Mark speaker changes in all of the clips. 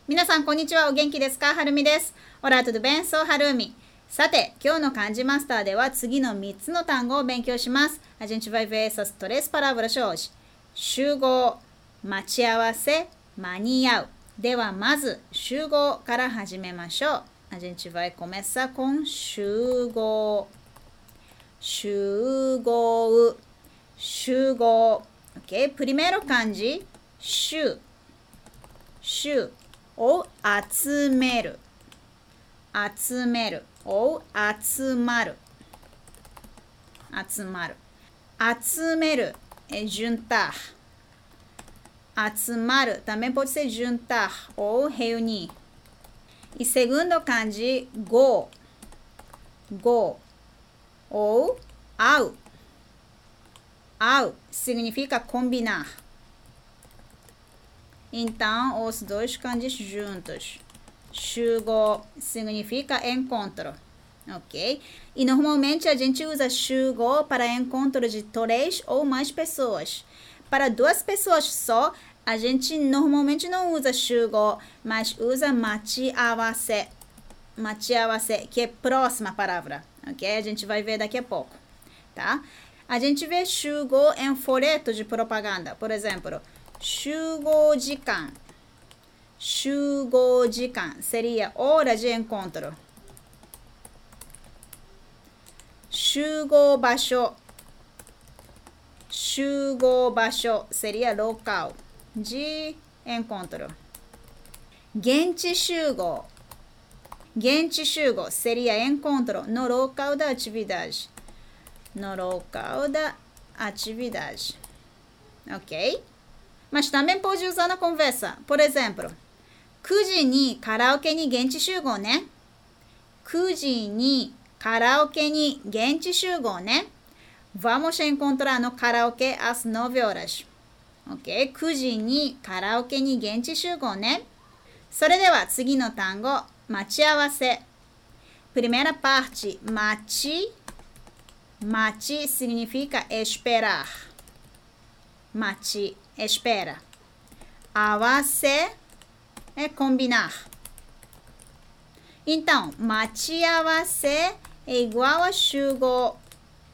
Speaker 1: 皆さん、こんにちは。お元気ですか？はるみです。Olá, tudo bem? Sou Harumi。さて、今日の漢字マスターでは次の3つの単語を勉強します。A gente vai ver essas 3 palavras hoje. 集合、待ち合わせ、間に合う。では、まず、集合から始めましょう。A gente vai começar com 集合。集合。集合。Ok? Primeiro 漢字、集。集。ou 集める集める ou 集まる集まる集めるé juntar集まる também pode ser juntar ou reunir e segundo kanji go go ou 会う会う significa combinar. Então, os dois kanjis juntos. 集合 significa encontro, ok? E normalmente a gente usa 集合 para encontro de 3 ou mais pessoas. Para 2 pessoas só, a gente normalmente não usa 集合, mas usa 待ち合わせ. 待ち合わせ, que é próxima palavra, ok? A gente vai ver daqui a pouco, tá? A gente vê 集合 em folheto de propaganda, por exemplo, 集合時間集合時間 seria hora de encontro 集合場所集合場所 seria local de encontro 現地集合現地集合 seria encontro no local da atividade no local da atividade ok? Mas também pode usar na conversa. Por exemplo, 9時にカラオケに現地集合ね。9時にカラオケに現地集合ね。Vamos encontrar no karaoke às 9 horas. Ok? 9時にカラオケに現地集合ね。それでは次の単語、待ち合わせ。Primeira parte, 待ち。待ち significa esperar. 待ち。Espera. 合わせé combinar. Então, 待ち合わせé igual a 集合,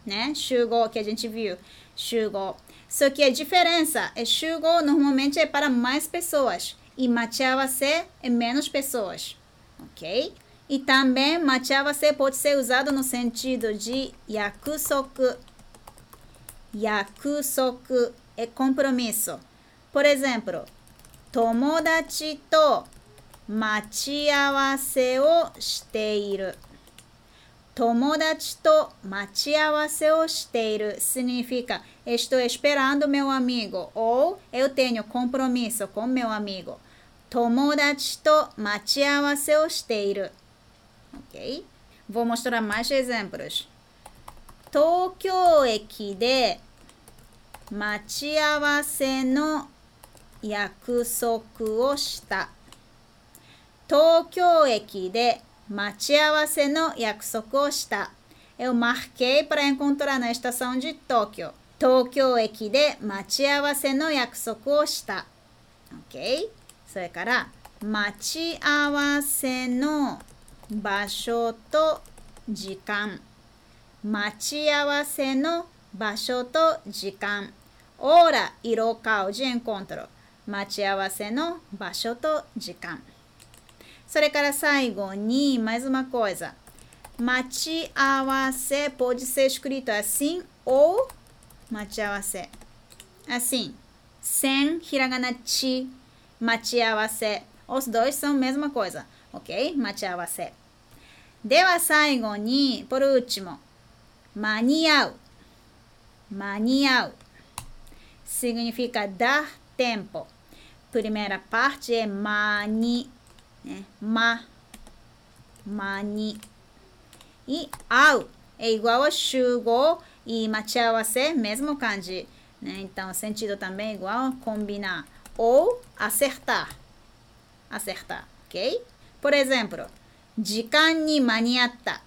Speaker 1: né? 集合 que a gente viu. 集合. Só que a diferença é 集合 normalmente é para mais pessoas e 待ち合わせé menos pessoas. Ok? E também 待ち合わせpode ser usado no sentido de 約束. 約束é compromisso. Por exemplo, 友達と待ち合わせをしている。友達と待ち合わせをしている significa estou esperando meu amigo ou eu tenho compromisso com meu amigo. 友達と待ち合わせをしている。Ok? Vou mostrar mais exemplos. 東京駅で待ち合わせの約束をした。東京駅で待ち合わせの約束をした。Eu marquei para encontrar na estação de Tóquio. 東京駅で待ち合わせの約束をした。Ok? それから、待ち合わせの場所と時間。待ち合わせの場所と時間。hora e local de encontro. 待ち合わせの場所と時間。それから最後に、mais uma coisa. 待ち合わせ pode ser escrito assim ou 待ち合わせ。Assim. Sem hiragana chi. 待ち合わせ。Os dois são a mesma coisa. Ok? 待ち合わせ。では最後に、por último. 間に合う。間に合う。Significa dar tempo. Primeira parte é mani, né? Mani. E ao é igual a 集合 e 待ち合わせ, mesmo kanji, né? Então, o sentido também é igual a combinar ou acertar. Acertar, ok? Por exemplo, 時間に間に合った.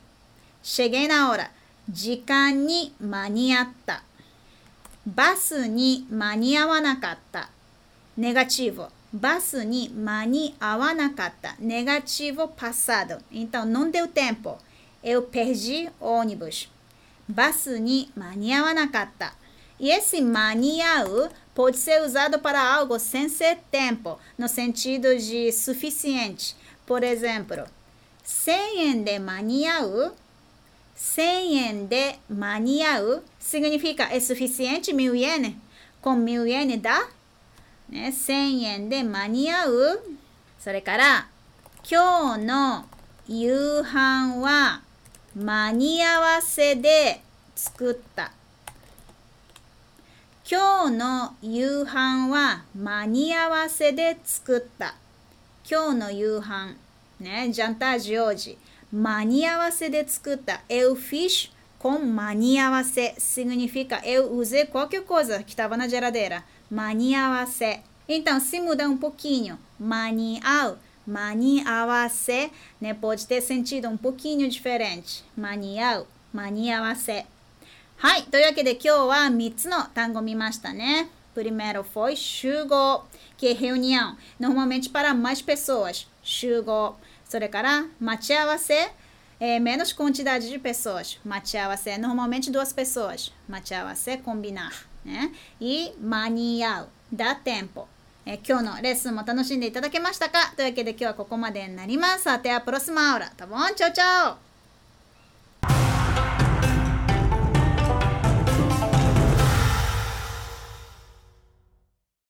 Speaker 1: Cheguei na hora. 時間に間に合った。バスに間に合わなかった。Negativo. バスに間に合わなかった。Negativo passado. Então, não deu tempo. Eu perdi o ônibus. バスに間に合わなかった。E esse 間に合う pode ser usado para algo sem ser tempo, no sentido de suficiente. Por exemplo, 1000円で間に合う 1000円で間に合う significa é suficiente 1000 yen? Com 1000 yen dá? ね、1000円で間に合う。それから今日の夕飯は間に合わせで作った。今日の夕飯は間に合わせで作った。今日の夕飯ね、jantar de hoje 間に合わせで作った。Eu fiz com 間に合わせ significa eu usei qualquer coisa que estava na geladeira. 間に合わせ。Então, se mudar pouquinho, 間に合う、間に合わせ、né, pode ter sentido pouquinho diferente. 間に合う、間に合わせ。はい、というわけで今日は3つの単語見ましたね。Primeiro foi 集合, que é reunião, normalmente para mais pessoas. 集合。それから待ち合わせ, menos quantidade de pessoas. 待ち合わせ, normalmente 2 pessoas. 待ち合わせ, combinar. Né? E 間に合う, dá tempo. 今日のレッスンも楽しんでいただけましたか？というわけで今日はここまでになります。Até a próxima aula, tá bom? Tchau, tchau!